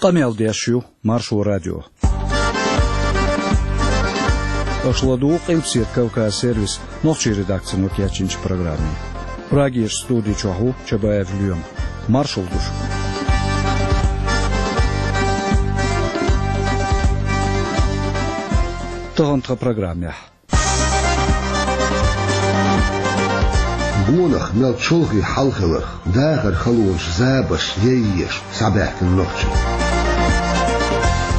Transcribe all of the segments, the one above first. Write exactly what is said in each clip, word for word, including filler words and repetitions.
Къамел деш ю Маршо радио. Аша ладугӀу Къилбаседа Кавказ сервисан нохчийн редакцино кечйинчу программе. Прагерчу студи чохь ву Чабаев Лоьма. Маршалла ду шуьга. Тахана тхан программехь. Гонах мел чолхе хьал хиларх, дахаран халонаш, забарш яйъеш схьабаьхкина нохчий.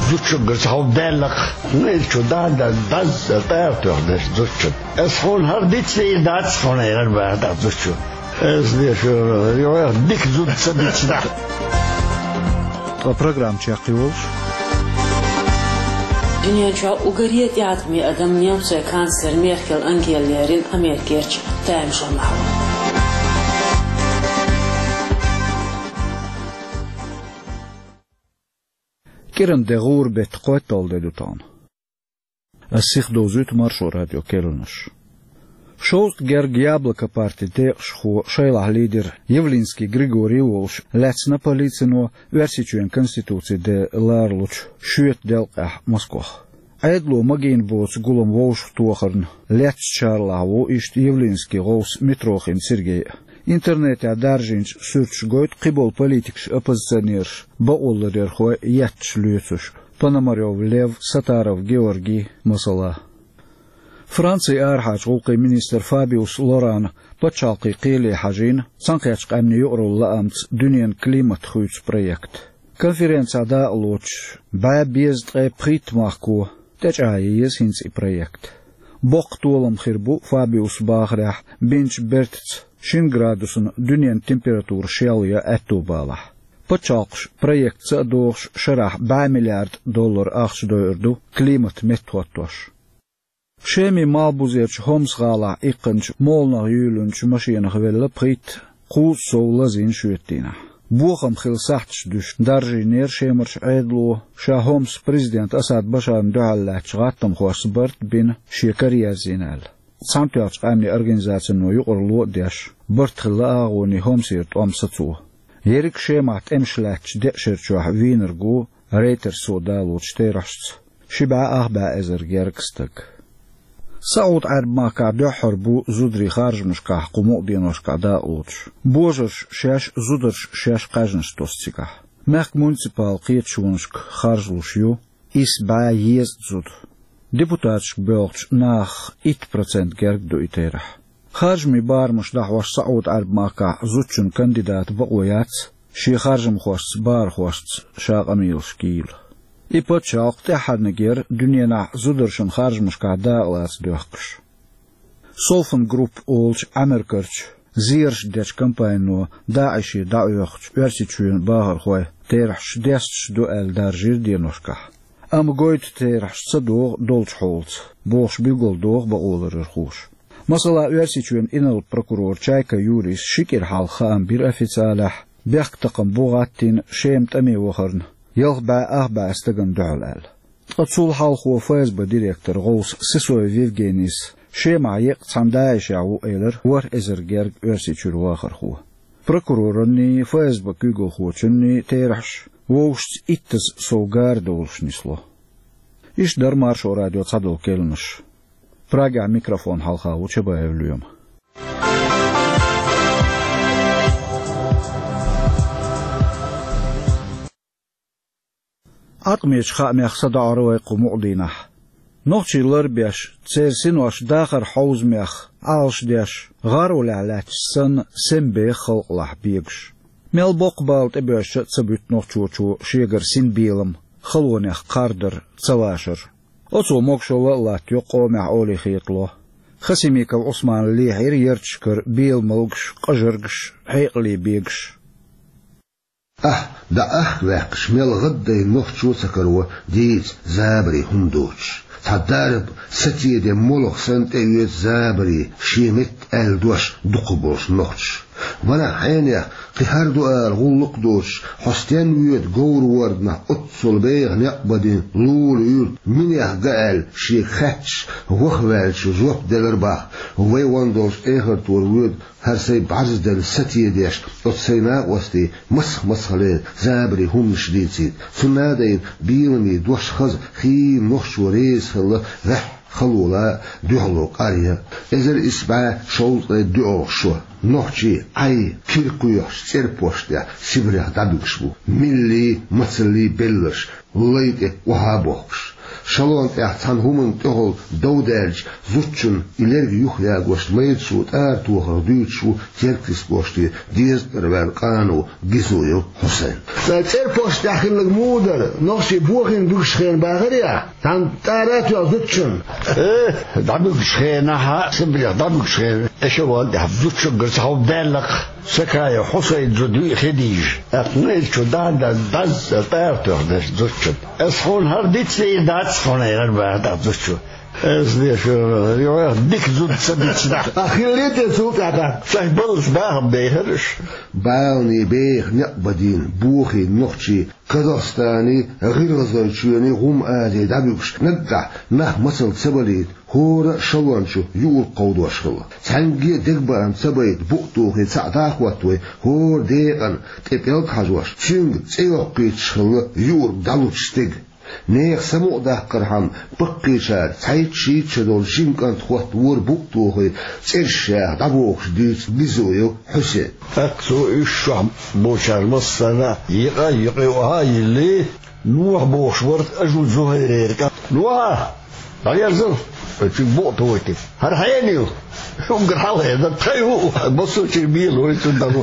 Зудчуьнгара цхьа хӀума даьллакх, нуьйла чу дан-дан дазза тӀара тоьхна дерш зудчун. Ас хьуна хӀара дицдийр дац, хьуна хӀара бара дӀа зудчун. Ас деш, йо, дика зуда ца дицна. Ткъа программа чекхйолуш. Дуьнен чохь уггаре тӀеӀаткъаме адам немцойн канцлер Меркел Ангела лерина Америкерчу тамашаллахь ву. КӀиранде гӀуран беттан кхойтталгӀа де ду тахана. Ас сихдовзуьйту Маршо радион керланаш. Шовзткъа герга Яблоко партин декъашхо, шайлахь лидер Явлинский Григорий а волуш, лаьцна полицино Оьрсийчоьнан Конституцин де ларалучу шоьтан делкъехь Москох. Ӏедало магийна боцу гулам вовшахтохарна лецначарлахь ву иштта Явлинскин гӀовс Митрохин Сергей а. Интернетехь даржийначу суьрташа гойту кхиболу политикаш, оппозиционераш, бакъоларъярхой етташ лоьцуш, Пономарёв Лев, Сатаров Георгий, масала. Францин арахьарчу гӀуллакхийн министр Фабиус Лорана пачхьалкхийн кхеле хьажийна Цхьаьнакхеттачу Къаьмнийн юкъаралла лаамца дуьненан климат хуьйцу проект. Конференцехь дакъалоцуш бӀе дезткъе пхийтта махко тӀечӀагӀъян еза хӀинца и проект. Боккха толам хир бу, Фабиуса бахарехь, бинчу бертаца шина градусна дуьненан температура шел ян аьтто балахь. Пачхьалкхаш, проект ца а дохуш, шарахь бӀе миллиард доллар ахча дойур ду климат меттахӀоттош. Шемин малхбузерчу Хомс-гӀалахь иккхинчу моланах юьйлинчу машенах велла пхийтта, кхузткъа сов лазийна шоьтан дийнахь. Бохам хилла сахьташ дуьсуш даржийнера Шемарчу Ӏедало, ша Хомсан президент Асад Башарна дуьхьал лаьттачу гӀаттамхошца барт а бина, шен кара ерзийна аьлла. Цхьаьнатоьхначу Къаьмнийн Организацино юкъаралла а деш, барт хилла агӀонийн Хомсера тӀом сацо. Ерриг Шемахь тӀемаш лаьттачу деа шера чохь вийнарг ву Рейтерсо далочу терахьашца ши бӀе ах бӀе эзар гергга стаг. СаӀуд-Ӏаьрбийн махкахь дуьххьара бу зударий харжамашкахь кху мукъа деношкахь дакъалоцуш. Божарша шаьш, зударша шаьш кхаьжнаш тосу цигахь. Мехкан муниципал кхеташонашка харжалуш ю исс бӀе езткъа зуда. Депутаташка боьлхучу нахах итт процент герга ду и терахь. Харжамийн барамаш дӀахьош СаӀуд-Ӏаьрбийн махкахь зудчун кандидатан бакъо яц шен харжамхошца, бархошца ша къамелаш гийла. И пачхьалкх тӀаьххьарниг яра дуьненахь зударшна харжамашкахь дакъалаца доьхкуш. Софан Групп олучу Ӏамеркарчу зераш дечу компанино ДАИШе дӀаоьхучу Оьрсийчоьнан бахархой терахьаш десташ ду аьлла даржийра деношкахь. Амма гойту терахьаш ца догӀу долчу хьолаца, бохуш билгалдоху бакъоларъярхоша. Масала, Оьрсийчоьнан инарла прокурор Чайка Юрис ши кӀира хьалха хаам бира официалехь, бехктакхаман бу гӀаттийна Шема тӀаме вахарна ялх бӀе ах бӀе стагана дуьхьал аьлла. Ткъа цул хьалхо ФСБ директоран гӀовса Сысоев Евгенийс Шемахь еккъа цхьана ДАИШехь ву элира ворхӀ эзар герга Оьрсийчуьра вахархо. Прокурорний, ФСБ куьйгалхочунний терахьаш вовшашца иттаза сов гара долуш нисло. Иштта дара Маршо радион цхьадолу керланаш. Прагехь микрофон хьалха ву Чабаев Лоьма. Ӏаткъамечу хаамех садоӀур вай кху мукъа дийнахь. Нохчий ларбеш, церан синош дахаран хьовзамех Ӏалашдеш, гӀаролехь лаьтташ санна, сема беха халкъалахь бегаш. Мел боккха бала тӀебоьжча а ца буьту нохчочо шегара синбелам, халонех кхардар, ца вашар. Оцо могашалла а латтайо къомехь олий хетало. Хасимиков Ӏусмана лехьийра ярташкара беламалгаш, къажаргаш, хьекъале бегаш. Ахь дӀаахка ваьккхича, мел гӀаддайна нохчо а ца каро дийца забаре хӀума доцуш. Цхьа дарба, сацеден молха санна тӀеоьцу забаре шен метта аьлла дош дукхахболуш нохчаша. Ванах хьенех, кхин хӀара ду ала гӀуллакх а доцуш, хьо стенна воьду говр-ворданах оццул беха некъ бан дина лулахь юрт, минех га аьлла, шега хаьтташ, ваха ваьллачо жоп делар боху, вай ван долчу эхартора воьду хӀара сайн бӀаьрзделла сатедеш, оцу сайн накъостий мацах-мацахалера забаре хӀуманаш дийцийта. Цунна а дайна, беламе дош хаза, хийла нохчо реза хилла ваьхьа халола а, дуьхьало къаръян а. Эзар исс бӀе шовзткъе доьалгӀа шо. Нохчий Ӏай, кира кхоьхьуш, цӀерпошт тӀехь Сибрех дӀабуьгуш бу. Милли, мацалли белларш, лай тӀе охьа а бохкуш. Шалон тӀехь цхьана хӀуманна тӀехула дов даьлча, зудчунна и лерг юхаягош майрачо тӀара тохар дуьйцуш ву Теркйист кӀоштера дезткъара ваьлла къано Гизоев Хьусайн. Сан цӀерпошт тӀехь хилларг муха дара, нохчий бохийна буьгуш хенахь бахарий ахь? Цхьана тӀара а тоьхна зудчунна? Э, дӀабуьгучу хенахь, Сибрех дӀабуьгучу хенахь, эшелон тӀехь зудчуьнгара цхьа хӀума даьлла-кх, Сакаев Хьусайн зуда виъ хи дийжа. ТӀаккха майрачо дӀа-дӀа дӀазза тӀара тоьхна зудчунна. Ас хьуна хӀара дицдийр дац хьуна, элира бахара тӀаккха зудчо. Ас дешар, юьхьех дика зуда ца дицна. А хилла те цул тӀаьхьа? Шайн баллалц бахам бехира уьш. Балане беха некъ бан дина бохийна нохчий Казахстаний, ГӀиргӀазойчоьний, ГӀум-Азий дӀабуьгуш, наггахь нах мацалла ца балийта, хӀора а шалон чу юург кховдош хилла. Цхьаьнгге а дегабаам ца байта, букъ тухий цхьаъ дӀа а хӀоттавой, хӀора декъана тӀе пӀелг хьажош, цуьнга цӀе йоккхуьйтуш хилла юург дӀалучу стеган. Нехан самукъадаккхархьама, баккхийчара цхьайтта-шийтта шо долчу жима кӀанта хӀоттавора букъ тухий, цӀераш яха дӀабохуш, дуьйцу Гизоев Хьусейна. ТӀаккха цо уьш чохь болчара массарна а йикъа, йикъа юкъа а йиллий, Нохьа бохуш вара Ажу Зухайрера кӀант. Нохьа! ДӀаерзал! Оцуьнга букъ тухийтира. ХӀара хьенан ю? Уггар хьалха эр дара, тхайн ю, массо а чуьра бела вай цунна дӀа.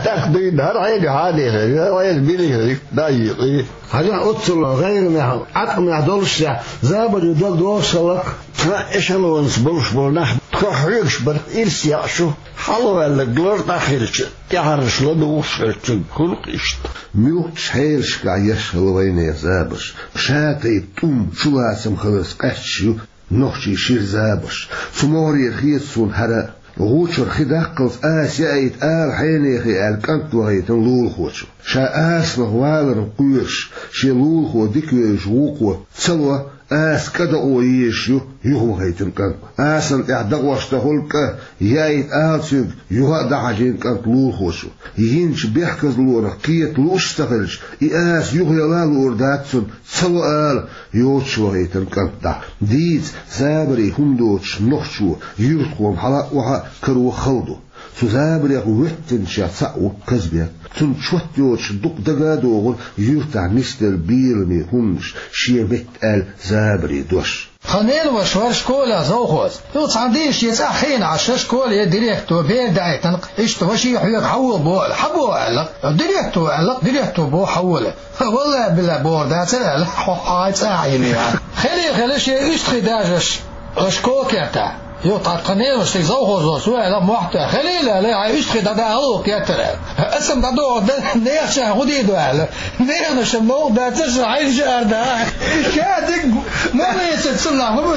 ТӀаккха дуьйна, хӀара хьенан ю, хьан дехар ю, хӀара хьенан мила ю, да а йикъий. Хьажахь, оццул гӀайгӀанехь, Ӏаткъамехь доллушехь, забаре дог догӀуш хилла-кх. Цхьана эшелонца болуш болу нах тхо хьоьгуш бара, ирс яӀ шу, хьалаваьлларг лар дӀахьаьрча, тӀаьхьарнаш ладугӀуш хилчун, хуьлу-кх иштта. Муьлххачу хьелашкахь еш хилла вайнехан забарш, ша тайпа тӀум, чулацам хиларца къаьсташ ю нохчийн шира забарш. Цу могӀарера хета суна хӀара а. ГӀу чуьра хи даккхалц аса яийта ала хьенехе аьлла кӀант вахийтина лулахочо. Ша асанах валарна кхоьруш, шен лулахо дика вевзаш вукхо ца ло, аса кӀадоӀо езаш ю юхавахийтина кӀант. Асана тӀехь дакъош дан хуьлу кӀа, яийта ала цуьнга, юха а дӀахьажийна кӀант лулахочо. Йинчу бехказлонах кхета лууш а ца хилча, и аса юхаяла а луур дац цунна, ца ло ала, йоцуш вахийтина кӀант дӀа. Дийца, забаре хӀума доцуш нохчо юьртахо-м хьала а, охьа а каро хала ду. Цу забарех воьттинчех цхьаъ ву Казбек. Цунна чот йоцуш дукха дага а догӀура юьртахь нисделла беламе хӀуманаш, шен метта аьлла забарийн дош. Тхан ненаваша вара школехь завхоз. Цо цхьана дийнахь шен цӀахь хиъна Ӏаш, школе директоро бер даийтина-кх, иштта ваша хьоьга хьавола боху аьлла, хьан боху аьлла. Директоро аьлла-кх, директоро боху хьавола. Валлай-биллай бохур дацара аьлла, хьо хьайн цӀахь йина яра. Хили хила шен уьстагӀий дажаш, аша кокерта. Йо, тхан ненаваша шега завхоз лоцу аьлла, мохь а тоьхна, хилийла аьлла, хьайн уьстагӀий дӀадахьа гӀуллакх геттара аьлла. Аса-м дӀадоху дан, нехан чохь хӀун дийр ду аьлла. Ненаваша-м новкъа дац, ша хьайна ша ара дан. Ша дика ма вецара цунах, ма ву.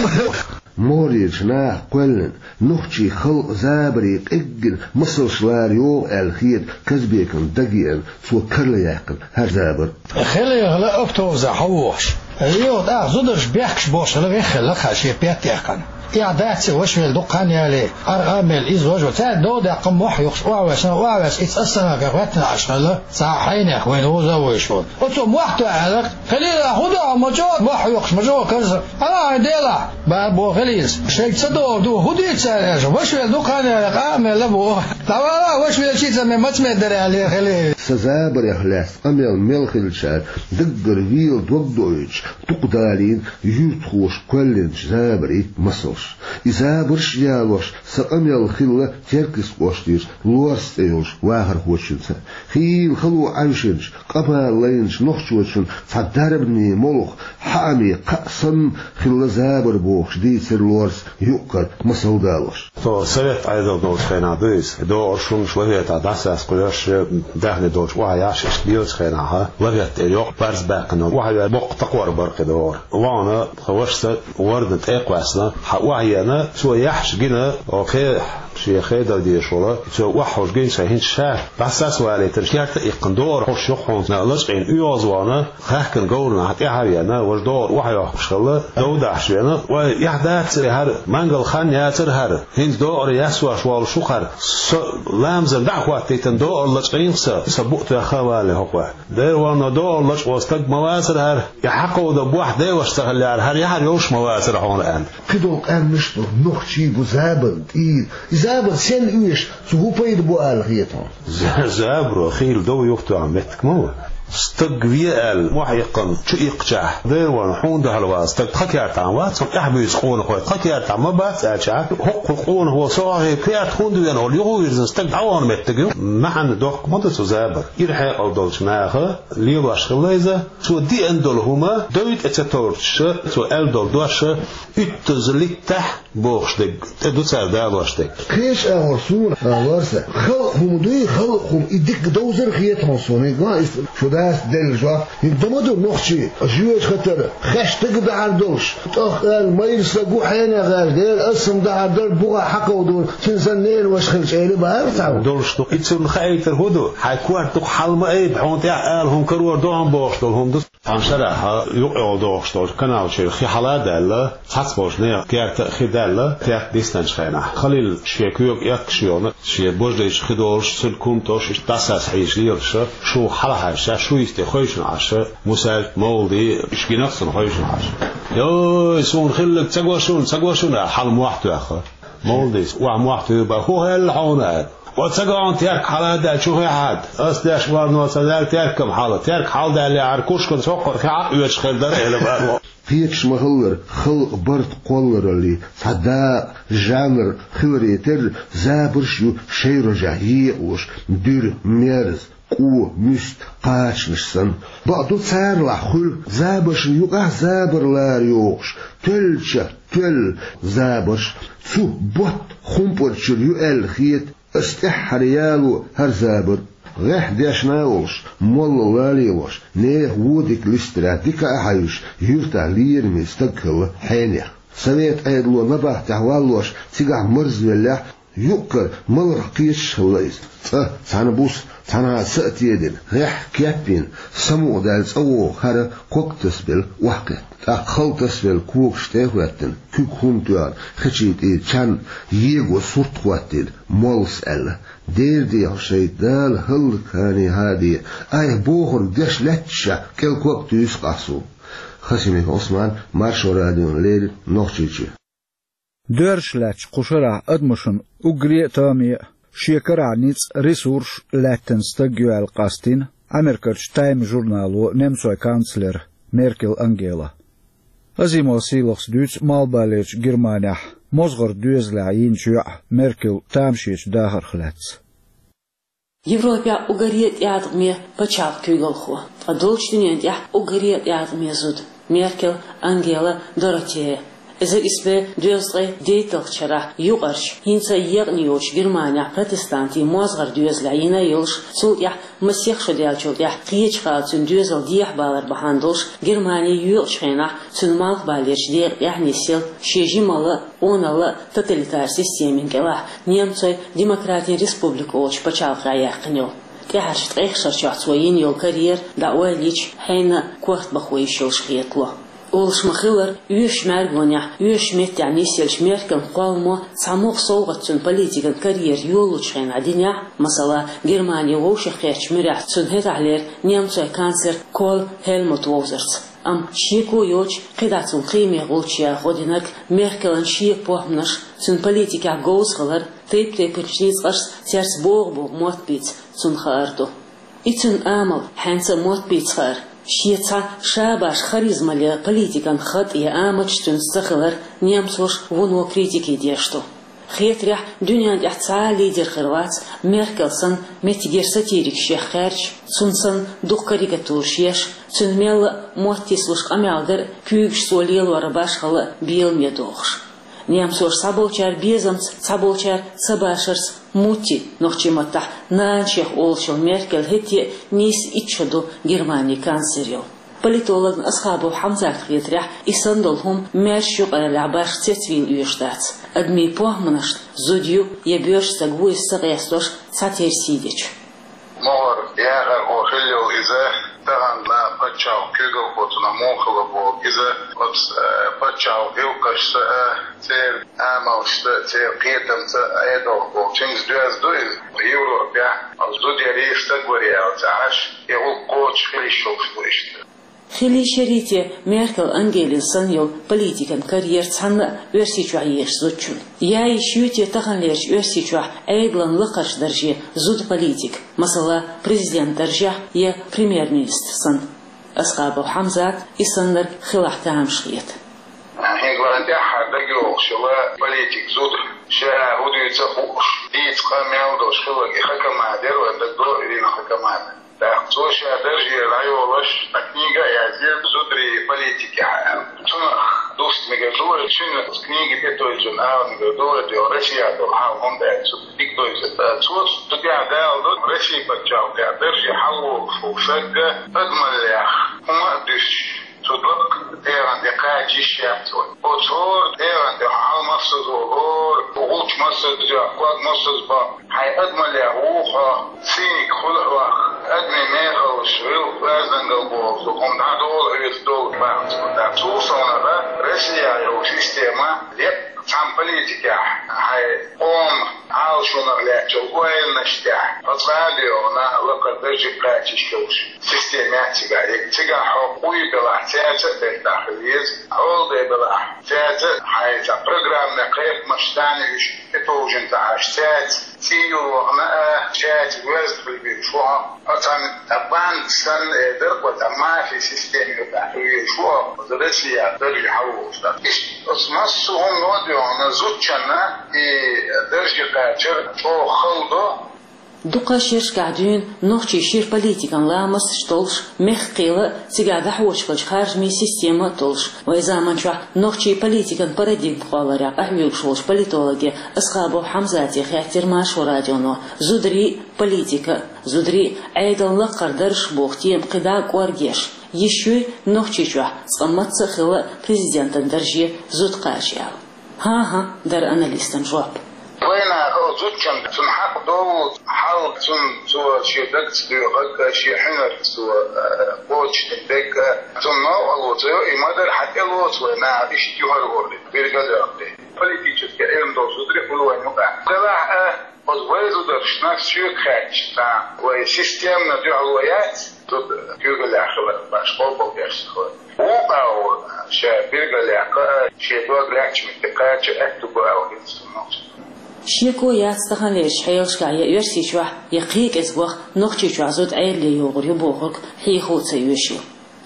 МогӀарерчу наха кхоьллина, нохчийн халкъан забарийн къеггина масалш лара йогӀу аьлла хета Казбекна дагеана, цо карла яьккхина хӀара забар. Хилийла автобусехь хьавогӀуш. Йо, тӀаккха зударша бехкаш болуш хилла, веххилла-кх шен петтехкана. Эхь дац и, ваша велла дукха хан яле, къаркъа а мелла, иза важа вара. Цаьрга дов даьккхина мохь юккъуш, охьаваьшна, охьаваьшна, иза ас санна гӀоьттина Ӏаш хилла, цхьа хьенех вайна вуза а вуьйш волу. Оцо мохь тоьхна аьлла-кх: «Хилийла, хӀун до хьо, ма чӀогӀа мохь юккъуш, ма чӀогӀа карза? Хьала хьайн делахь!» Баьр боху хилийца. Шайга ца догӀу ду, хӀун дийца цара аьлча, ваша велла дукха хан яле, къа а мелла боху. ДӀавала, ваша велчий ца ме, маца ме дара аьлла хилийла. Сан забарех лаьцна къамел мел хиллачара даггара вела дог доуьйтуш, дукха далийна юьртахоша кхоьллинчу забарийн масалш. И забарш а ялош, сан къамел хилла Теркйист кӀоштера Лорс цӀе йолчу вахархочуьнца. Хийла хало Ӏаьвшинчу, къа-бала лайначу нохчочун цхьа дарбане молха, хьааме кхаъ санна хилла забар бохуш дийцира Лорс юкъ-кара масал далош. Тхо совет Ӏедал долчу хенахь ду иза. ДогӀурш, хӀуманаш лафетахь дӀасаскъош, даьхни долчу охьаяхьаш, иштта лелачу хенахь, лафет тӀера йоккха парз баьккхина, охьавер боккха такхор бара кхидӀа догӀур. Вахана тхан вашас вордана тӀе а кхоьссина, хьан охьаеана, цо яхьаш гина, оха Шен хедар дезаш волу, цо охьахьожу гинчхьа хӀинца ша дӀасас валийтина, керта а иккхина, догӀар хьош юха хьуна лачкъийна оьгӀазвахана, хаьхкина говрана тӀаьхьа а веана, важа догӀар охьайохкуш хилла, дов дахьаш веана. Вай, эхь дац хӀара, мангал хан яцара хӀара, хӀинца догӀар яссош волуш ву хӀара, со ламазан дӀа а хӀоттийтина, догӀар лачкъийна со, со букъ тоьхна а валале хӀокхо. Дера ванно, догӀар лачкъо стаг ма вацара хӀара, и хьакховда бохь деваш ца хиллехьара, хӀара яхьар йолуш ма вацара хьуна аьлла. Кхидолу къаьмнаш ду, нохчий бу забарна тӀера. И забар сенна оьшу, цу хӀун пайда бу аьлла хета хьуна? За-, забаро хийла дов юхатоьхна меттиг ма ву. Стаг ве аьлла, мохь иккхина, чу иккхачахь, дера ванно, хьуна дуьхьал вац стаг тхан кертахь вац, хьуна тӀаьхьа буьйцу къонахой тхан кертахь ма бац аьлчахь, хӀокху къонахо со хьахе керта хӀунда вена олу, юха вирзина стаг дӀавахана меттиг ю. Маьхьанна доккха ма ду цу забар. Ира хьекъал долчу наха лелош хилла иза, цо деана долу хӀума дой тӀе ца товртуш, цо аьлла долу дош уьттаза литтахь бохуш дерг тӀе ду цара далош дерг. Кхечу агӀор суна а ларса, халкъ хӀума дуй, халкъ хӀума и дика довзар хета хьуна суна, хӀинца ма а иштта шу дас делла жоп. ХӀинца дан ма ду нохчий, жоьжахатара, хеш стага дахьар долуш, тӀаккха аьлла, майра са гу хьенех гӀаьржа, дера аса-м дахьар дара, буха хьакховдур, цуьнан санна ненан ваша хилча эли бахьара цхьа. Долуш ду, и цунна хаийтар хӀун ду, хьайн корта дукха хьал ма айба, хьуна тӀехь ала хӀума карор ду хьуна бохуш долу хӀума ду. Цхьана шарахь юкъайолу дохуш долчу канал чуьра хи хьала а даьлла, цхьацца болчу нехан керта а хи даьлла, керта диснарчу хенахь. Халил шен коьга эккхаш йолу, шен бождайчу хи долуш, цуьнан кумтош иштта дӀасас хьийзаш лелаш, шу хьалахьаьжча, шу йисте хойшина Ӏаш, Мусаьл, Мовлади, иштта гинарх цунна хойшина Ӏаш. Йой, суна хилларг ца го шуна, ца го шуна, хьала мохь тоьхна. Мовладис, охьа мохь туьйра бан, хӀун хилла хьуна аьлла. О, ца го хьуна, терка хьала а даьлла, чу хи хьадда. Ас деш ванно ца даьлла, теркам хьала. Терка хьала даьллехьара, кушканца хӀокхуьнан хи хьа а оьцуш хир дара, эли бан. Кхечуш ма-хиллара, халкъан барт кхоллараллин цхьа дакъа, жанр хиларе терра, забарш а ю шайн рожехь екъалуш, дуьра, мерза, кӀо, муьста, кхачанаш санна. Бакъду, царалахь хуьлу забаршна юкъахь забар лара йохуш, тоьллачех тоьлла забарш. Цу ботт хумпӀарчуьра ю аьлла хета ас тӀаьххьара яло хӀара забар. ГӀеххьа дешна а волуш, молла а лелош, нехан вон дика листарехь дика а хьаьвзаш, юьртахь лераме стаг хилла хьенех. Совет Ӏедало набахтехь валлош, цигахь марзвеллехь, юкъ-кара маларх кхеташ хилла иза. Цкъа цхьана буса, цхьанхьа са а тедина, гӀеххьа кеп йина, самукъадаьлла цӀа вогӀу хӀара ког тасабелла охьакхетта. ТӀаккха хала тасавелла когаш тӀе а хӀоьттина, куьг хӀума тоьхна, хечийн тӀера чан его сурт хӀоттийна, моллас аьлла: «Дера де хьо шайтӀа, Дала хӀаллакьхьане хьа де, айхьа бохург деш лаьтташехь, кӀел ког туьйсу-кх ахь суна». Хасимиков Ӏусман, Маршо радиона леррина, Нохчийчоь. Доьрзуш лаьттачу кху шарахь адамашна уггаре а тоаме а, шен карахь ницкъ, ресурс лаьттина стаг ю аьлла къастийна Америкерчу Time журнало немцойн канцлер Меркел Ангела. Азимов Сийлахьас дуьйцу Малхбалерчу Германехь мозгӀаран доьзалехь йинчу йоӀ Меркел тамашечу дахарх лаьцна. Европехь уггаре а тӀеӀаткъаме пачхьалкх куьйгалхо, ткъа долчу дуьнен тӀехь уггаре а тӀеӀаткъаме зуда Меркел Ангела Доротея. Эзар исс бӀе дезткъе дейтталгӀачу шарахь юкъарчу, хӀинца а екъна йоцучу Германехь протестантийн мозгӀаран доьзалехь йина а йолуш, цул тӀаьхьа масех шо даьллачул тӀаьхьа кхечу хала цуьнан доьзал дехьабалар бахьана долуш, Германи йоькъучу хенахь цуьнан Малхбалерчу декъа тӀехь нисъелла, шен жималла а, къоналла а тоталитар системин кӀелахь, немцойн Демократийн Республика олучу пачхьалкхехь яьккхина йолу. ТӀаьхьарчу ткъех шарчохь цо йина йолу карьера дӀа ойла йича, хьенан а корта бахо йиш йолуш хетало. Олуш ма-хиллара, оьшучу мӀаьргонехь, оьшучу меттехь нисъеллачу Меркелан кхолламо цхьа могӀа совгӀат цуьнан политикан карьера йолалучу хенахь динехь, масала, Германи вовшахкхеттачу муьрехь цуьнан хӀетахьлера немцойн канцлер Коль Хельмут вовзарца. Амма шеко йоцуш, кхидӀа цунна кхиаме гӀулч яха гӀо динарг Меркелан шега похӀманаш, цуьнан политикехь говза хилар, тайп-тайпанчу ницкъашца цаьрца богӀу-богӀу мотт бийца цунна хаар ду. И цуьнан амал, хьаьнца а мотт бийца хаар, шен цхьа ша башха харизмале политикан хатӀ я амалш цуьнца ца хилар немцоша вуно критике деш ду. Хетарехь, дуьнен тӀехь цхьа а лидер хир вац, Меркел санна, меттигера сатирикаш еха хаьржа, цунна санна дукха карикатураш еш, цуьнан мелла а мотт тислуш къамел дар а, куьйгаш цо лелор а башхалла а беламе дохуш. Немцоша цхьаболчара безамца, цхьаболчара цабашарца мутти, нохчийн маттахь нана шех олучул Меркел хӀетте а нийса итт шо ду Германин канцлер йолу. Политологна Асхабов Хьамзатна хетарехь, и санна долу хӀума маьршачу юкъараллехь башха цецвийла оьшуш дац. Адамийн похӀманашта зуда ю е боьрша саг ву из ца къестош цхьатерра сий деча. МогӀар яхар хӀо хилла йола иза, тахан паччахьалкхе куьйгалхочунах муха хилла боху иза, оцу, э, паччахьалкхе гӀиллакхашца а, церан амалшца а, церан кхетамца а Ӏедалх болчуьнца доьзна ду иза. Европехь зуда ярий, стаг варий аьлла ца Ӏаш, и гӀуллакх кхочуш хила йиш йолуш бу иштта. Хила йиш ярий те Меркел Ангелина санна йолу политикан карьера цхьанна а Оьрсийчохь езачу зудчун? Яй йиш юй те таханлерчу Оьрсийчохь Ӏедалан лакхарчу дарже зуда политик, масала, президент даржехь я премьер-министр санна? Асхабов Хьамзат и саннарг хилахь тамаш хета. ХӀинца вайн тӀаьххьара дагайогӀуш йолу политик зуда, ша хӀун дуьйцу а хууш, дийца къа мел долуш хиларг и ха командир вайн дагадогӀу, Ирина ха командир. ТӀаккха цо ша даржера дӀайолош, цхьа книга а язйира зударий политикехь аьлла. Цунах дуста мегар ду вай, цуьнан книга тӀетевжина ала мегар ду вай, тӀе Россия долу хьал хӀунда аьлча цу дика довзийта. Цо цу тӀехь даладо Россия пачхьалкхехь дарже хьалаволуш волу сагга адамаллех хӀума а дуьсуш, цу лакхарчу тӀегӀан тӀе кхача йиш яц вай. Оцу хӀора тӀегӀан тӀе хьал массаза волу, хӀора гӀулч массаза йоккху, ког массаза боккху. Хьайн адамаллех вуха хьо, циниг хуьлу хьох, адамийн мехаллаш, гӀиллакх, оьздангалла бохург ду, хӀума дӀадолу хьоьца долу бахьанца. Цул совнаха Россия йолу система, деккъа цхьана политикехь, хьайн къоман Ӏалашонах лаьттачу ойланаш тӀехь, хьо цкъа а доьгӀна, лакхара дарже кхача йиш йолуш система яц цигахь. Цигахь хьо къуй белахь, цаьрца а бертахь хила еза, хьолдай белахь, цаьрца а хьайн цхьа программин кхайкхамаш царна уьш тӀетовжина ца Ӏаш, цаьрца цӀий юхана а, цаьрца воьзна хила везаш ву хьо. Хьо цхьана цхьа банда санна, э, дара-кх, цхьа мафи система юкъахь хила везаш ву хьо, оцу Россия дарже хьалаволуш. Иштта оцу массо а хӀумано а доьгӀна, зудчунна и дарже кхачар чӀогӀа хала до. Дукха шерашкахь дуьйна нохчий шира политикан ламасташ толлуш, мехкан кхелан а, цигахь дӀахьочуш хиллачу харжамийн система а толлуш, вайн заманчохь нохчий политикан парадигма кхолларехь къахьоьгуш волчу политологе Асхабов Хьамзате хаьттира Маршо радионо зударий а, политика а, зударий а, Ӏедалан лакхара дарж боху тема кхидӀа а кӀоргеш, йиш юй Нохчийчохь цкъа мацца а хилла президентан дарже зуда кхача аьлла. ХӀан-хӀа, дара аналистан жоп. Вайнаха оцу зудчунна цунна хьакъ долу хьал, цунна цо шен дагца доьхург а, шен хьуьнарца цо, э, кхочушдина дерг а, цунна новкъарло ца йо, и ма-дарра хьан тӀелоцу вай наха иштта юхар-гӀорре, биргал а йоккхий. Политический Ӏилма долу зударий хуьлу вайн юкъахь. Делахь а, оцу вайн зударшна соьга хаьттича, цхьа вайн системно дуьхьало яц, зуда куьйгаллехь хилар баш, къобалдеш хилар. Вукхо а ша биргаллехь кхаа, шен дог лаьттачу метте кхача аьтту бу аьлла хета суна. Шеко яц таханлерчу хьелашкахь я Оьрсийчохь, я кхин кӀезигох Нохчийчохь зуда Ӏедале йогӀур ю бохург хьехо а ца оьшу.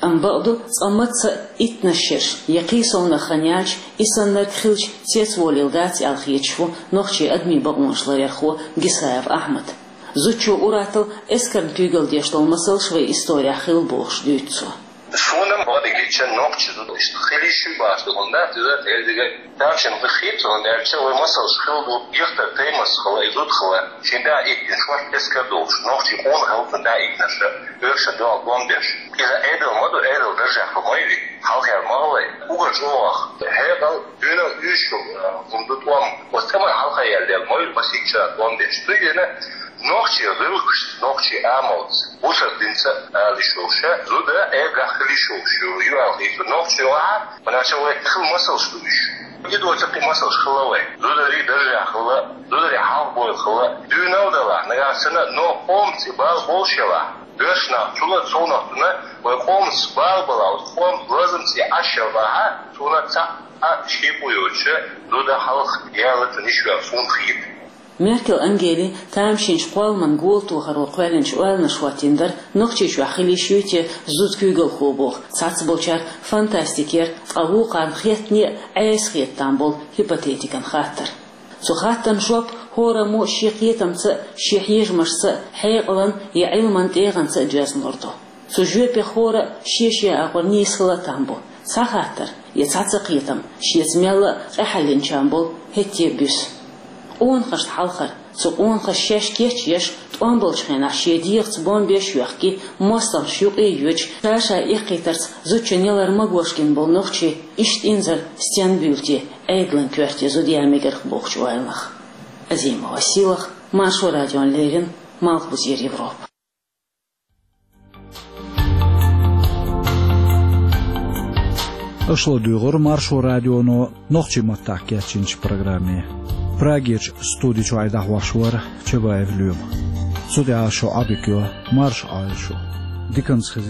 Амма бакъду, цкъа мацца а иттанаш шераш я кхин совнаха хан яьлча, и саннарг хилча цецволийла дац аьлла хеташ ву нохчийн адамийн бакъонаш ларъярхо Гисаев Ахьмад. Зудчо ур-атталла эскарна куьйгалла деш долу масалш вайн исторехь хилла бохуш дуьйцу цо. Суна ма-дигича нохчи зуда иштта хила йиш ю бохуш ду хӀунда, иза элдига тамашийна хир ду хӀунда аьлча, вайн масалш хилла ду, гихтар таймас хилла, и зуда хилла, шен да иттанаш вац эскар долуш, нохчий къона хилла цунна да иттанаш, оьрсийн дуьхьал тӀом беш. Иза Ӏедал ма ду, Ӏедал даржехь хилла ма ю и, хьалхара ма хилла и, уггар чӀогӀа хьекъал, дуьненал уьш ю, хӀума ду тӀом, оцу тӀеман хьалха яьлла ма ю, масийттаза тӀом беш. Цундела нохчийн гӀиллакхашца, нохчийн амалца, бусалба динца ала йиш йолуш, зуда Ӏедалехь хила йиш йолуш ю, ю аьлла хета. Нохчий вахьа, ванача вай хила масалш ду уьш. И доцу кхин масалш хилла вайн. Зударий даржехь хилла, зударий хьалха бойла хилла. Дуьйна а далахь, нагахь санна, но къомаца и бала болуш елахь, боьрша нах цул а совнаха цунна, вайн къомаца бала балахь, оцу къоман лазамца и Ӏаш елахь, цунах цхьа а шен къу йоцуша, зуда хьалха яла цунна йиш ю аьлла суна хета. Меркел Ангели тамашийначу кхолламан голатохаро кхоьллинчу ойланаш хӀоттийна дара, Нохчийчохь хила йиш юй те зуда куьйгалхо боху, цхьацболчара фантастикера, ткъа вукхарна хеттане а Ӏеса хета там болу гипотетикан хаттар. Цу хаттарна жоп хӀораммо шен кхетамца а, шен хьежамашца а, хьекъалан я Ӏилман тӀегӀанца а доьзна лур ду. Цу жоьпех хӀора шен-шен агӀор нийса хила а там бу. Цхьа хаттар я цхьацца кхетам шеца мелла а къахьаьллинчарна болу хӀетте а буьсу. Къонахашна хьалхара, Цу къонахаша шаьш кийчъеш, тӀом болчу хенахь шен дегӀаца бомбеш а йоьхкий, мостагӀчу юкъе а йоьдуш, ша-ша эккхийтарца зудчун ялар магош гина болу нохчий иштта инзаре стенна буьйлу те, Ӏедалан коьрте зуда ян мегар бохучу ойланах. Азимова Силах, Маршо радиона леррина, Малхбузера Европа. Аша ладуьйгӀира Маршо радионо нохчийн маттахь кечйинчу программе. Прагерчу студи чуьра айдахь вахаш вара Чабаев Лоьма. Цу тӀехь шу Ӏадика йо, марша Ӏойла шу. Диканца хеза.